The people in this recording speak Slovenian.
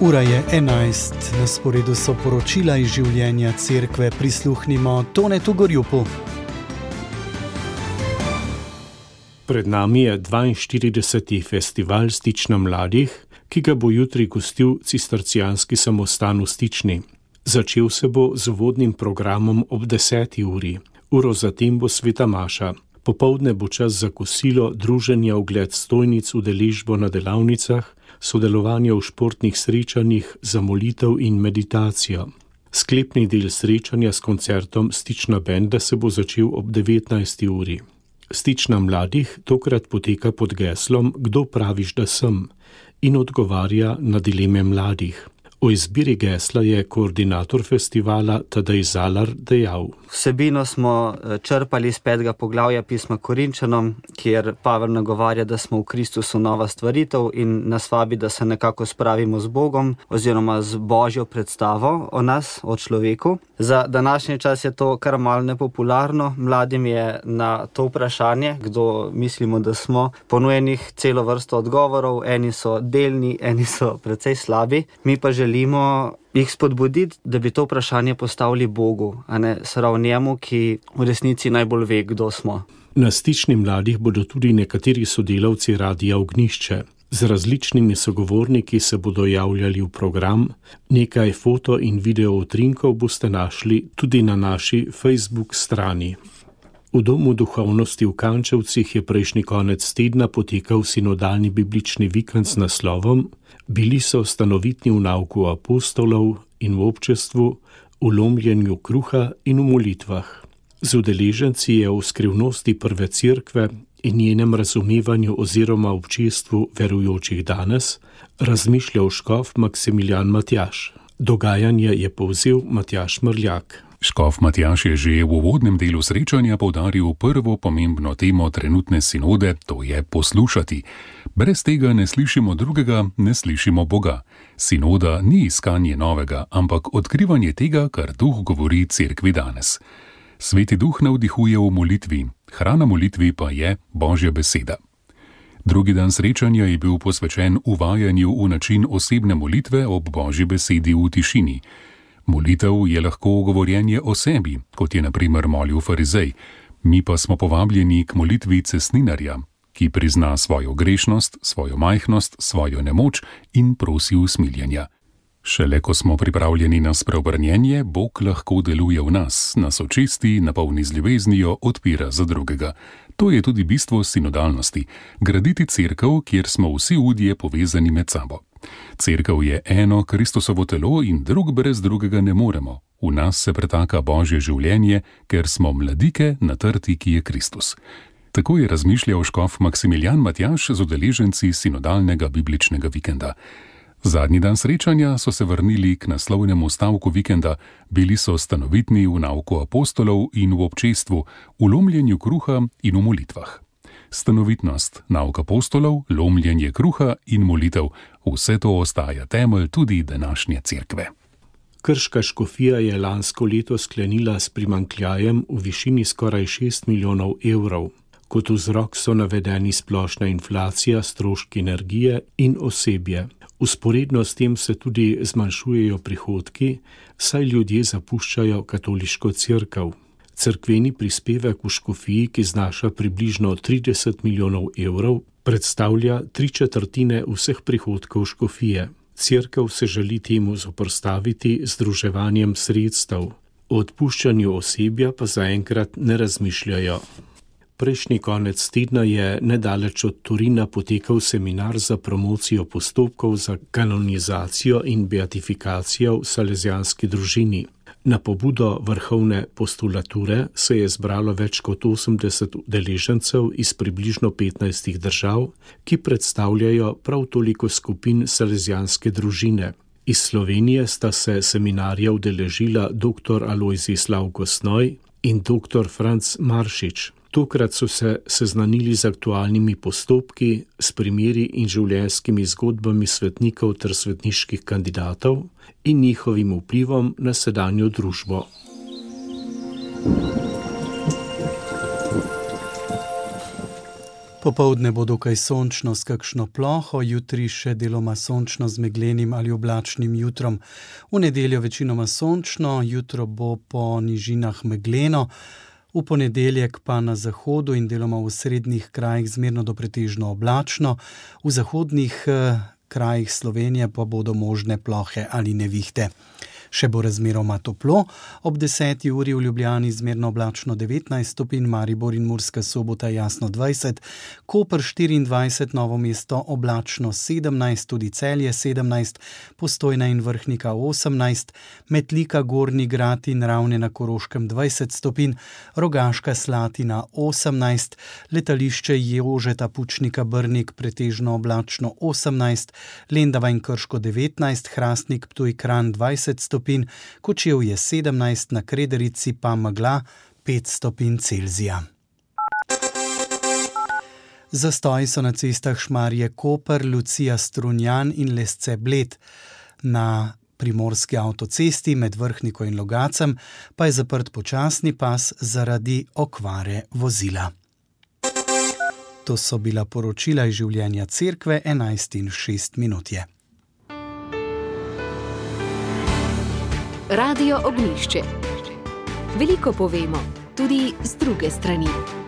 Ura je 11, na sporedu so poročila iz življenja cerkve, prisluhnimo Tonetu Gorjupu. Pred nami je 42. festival Stična mladih, ki ga bo jutri gostil cistercijanski samostan v Stični. Začel se bo z uvodnim programom ob 10. uri. Uro zatem bo sveta maša. Popoldne bo čas za kosilo, druženje, ogled stojnic, udeležbo na delavnicah, sodelovanje v športnih srečanjih, za molitev in meditacijo. Sklepni del srečanja s koncertom Stična benda se bo začel ob 19. uri. Stična mladih tokrat poteka pod geslom Kdo praviš, da sem? In odgovarja na dileme mladih. O izbiri gesla je koordinator festivala Tadej Zalar dejal. Vsebino smo črpali iz 5. poglavja pisma Korinčanom, kjer Pavel nagovarja, da smo v Kristusu nova stvaritev in nas vabi, da se nekako spravimo z Bogom oziroma z Božjo predstavo o nas, o človeku. Za današnji čas je to kar malo nepopularno. Mladim je na to vprašanje, kdo mislimo, da smo, ponujenih celo vrsto odgovorov. Eni so delni, eni so precej slabi. Mi pa želimo jih spodbuditi, da bi to vprašanje postavili Bogu, a ne srav njemu, ki v resnici najbolj ve, kdo smo. Na Stični mladih bodo tudi nekateri sodelavci Radia Ognjišče. Z različnimi sogovorniki se bodo javljali v program. Nekaj foto in video utrinkov boste našli tudi na naši Facebook strani. V Domu duhovnosti v Kančevcih je prejšnji konec tedna potekal sinodalni biblični vikend s naslovom Bili so stanovitni v nauku apostolov in v občestvu, v lomljenju kruha in v molitvah. Z udeleženci je o skrivnosti prve cerkve in njenem razumevanju oziroma občestvu verujočih danes razmišljal škof Maksimilijan Matjaž. Dogajanje je povzel Matjaž Mrljak. Škof Matjaž je že v uvodnem delu srečanja poudaril prvo pomembno temo trenutne sinode, to je poslušati. Brez tega ne slišimo drugega, ne slišimo Boga. Sinoda ni iskanje novega, ampak odkrivanje tega, kar Duh govori cerkvi danes. Sveti Duh navdihuje v molitvi, hrana molitvi pa je Božja beseda. Drugi dan srečanja je bil posvečen uvajanju v način osebne molitve ob Božji besedi v tišini. Molitev je lahko govorjenje o sebi, kot je na primer molil farizej. Mi pa smo povabljeni k molitvi cestninarja, ki prizna svojo grešnost, svojo majhnost, svojo nemoč in prosi usmiljenja. Šele ko smo pripravljeni na spreobrnjenje, Bog lahko deluje v nas očisti, napolni z ljubeznijo, odpira za drugega. To je tudi bistvo sinodalnosti, graditi cerkev, kjer smo vsi udje povezani med sabo. Cerkev je eno Kristusovo telo in drug brez drugega ne moremo. V nas se pretaka Božje življenje, ker smo mladike na trti, ki je Kristus. Tako je razmišljal škof Maksimilijan Matjaž z udeleženci sinodalnega bibličnega vikenda. Zadnji dan srečanja so se vrnili k naslovnemu stavku vikenda, bili so stanovitni v nauku apostolov in v občestvu, v lomljenju kruha in v molitvah. Stanovitnost, nauk apostolov, lomljenje kruha in molitev, vse to ostaja temelj tudi današnje cerkve. Krška škofija je lansko leto sklenila s primanjkljajem v višini skoraj 6 milijonov evrov. Kot vzrok so navedeni splošna inflacija, stroški energije in osebje. Vzporedno s tem se tudi zmanjšujejo prihodki, saj ljudje zapuščajo katoliško cerkev. Cerkveni prispevek v škofiji, ki znaša približno 30 milijonov evrov, predstavlja 3/4 vseh prihodkov škofije. Cerkev se želi temu zoperstaviti z združevanjem sredstev. O odpuščanju osebja pa zaenkrat ne razmišljajo. Prejšnji konec tedna je nedaleč od Torina potekal seminar za promocijo postopkov za kanonizacijo in beatifikacijo v salezijanski družini. Na pobudo vrhovne postulature se je zbralo več kot 80 udeležencev iz približno 15 držav, ki predstavljajo prav toliko skupin salezijanske družine. Iz Slovenije sta se seminarja udeležila dr. Alojzij Slavko Snoj in dr. Franc Maršič. Tokrat so se seznanili z aktualnimi postopki, s primeri in življenjskimi zgodbami svetnikov ter svetniških kandidatov in njihovim vplivom na sedanjo družbo. Popoldne bo dokaj sončno s kakšno ploho, jutri še deloma sončno z meglenim ali oblačnim jutrom. V nedeljo večinoma sončno, jutro bo po nižinah megleno, v ponedeljek pa na zahodu in deloma v srednjih krajih zmerno do pretežno oblačno, v zahodnih krajih Slovenije pa bodo možne plohe ali nevihte. Še bo razmeroma toplo, ob 10. uri v Ljubljani zmerno oblačno 19 stopinj, Maribor in Murska Sobota jasno 20, Koper 24, Novo mesto oblačno 17, tudi Celje 17, Postojna in Vrhnika 18, Metlika, Gornji Grad in Ravne na Koroškem 20 stopinj, Rogaška Slatina 18, Letališče Jožeta Pučnika Brnik pretežno oblačno 18, Lendava in Krško 19, Hrastnik, Ptuj, Kranj 20 stopinj, Kočevje 17, na Krederici pa megla 5 stopinj Celzija. Zastoji so na cestah Šmarje-Koper, Lucija-Strunjan in Lesce-Bled. Na primorski avtocesti med Vrhniko in Logacem pa je zaprt počasni pas zaradi okvare vozila. To so bila poročila iz življenja cerkve, 11:06 je. Radio Ognjišče. Veliko povemo, tudi z druge strani.